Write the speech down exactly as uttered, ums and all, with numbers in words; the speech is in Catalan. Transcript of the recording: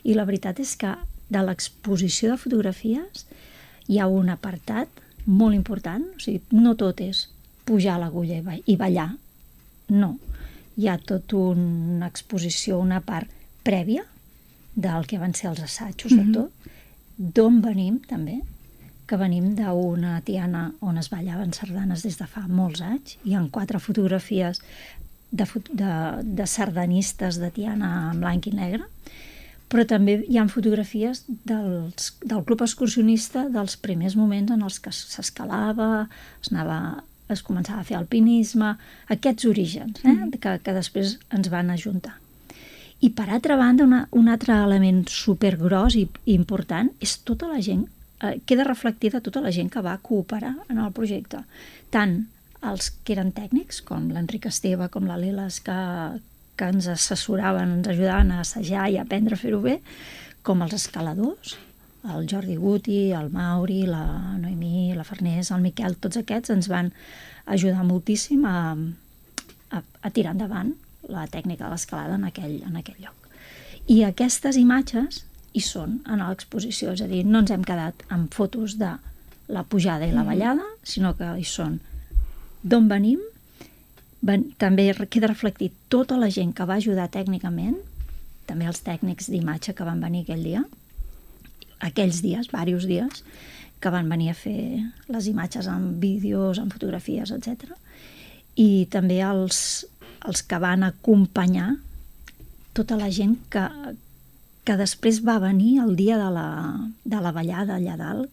I la veritat és que de l'exposició de fotografies hi ha un apartat molt important, o sigui, no tot és pujar a l'agulla i, ba i ballar, no. Hi ha tota una exposició, una part prèvia del que van ser els assajos mm-hmm. de tot, d'on venim també, que venim d'una tiana on es ballaven sardanes des de fa molts anys. Hi ha quatre fotografies de, de, de sardanistes de tiana en blanc i negre, però també hi ha fotografies dels, del club excursionista dels primers moments en els que s'escalava, es, anava, es començava a fer alpinisme, aquests orígens eh? mm. que, que després ens van ajuntar. I per altra banda, una, un altre element supergros i, i important és tota la gent, eh, queda reflectida tota la gent que va cooperar en el projecte. Tant els que eren tècnics, com l'Enric Esteve, com la Leles, que, que ens assessoraven, ens ajudaven a assajar i a aprendre a fer-ho bé, com els escaladors, el Jordi Guti, el Mauri, la Noemí, la Farners, el Miquel, tots aquests ens van ajudar moltíssim a, a, a tirar endavant la tècnica de l'escalada en aquell, en aquell lloc. I aquestes imatges hi són en l'exposició, és a dir, no ens hem quedat amb fotos de la pujada i la ballada, sinó que hi són d'on venim, ben, també queda reflectit tota la gent que va ajudar tècnicament, també els tècnics d'imatge que van venir aquell dia, aquells dies, diversos dies, que van venir a fer les imatges en vídeos, en fotografies, etcètera. I també els, els que van acompanyar tota la gent que, que després va venir el dia de la, de la ballada allà dalt,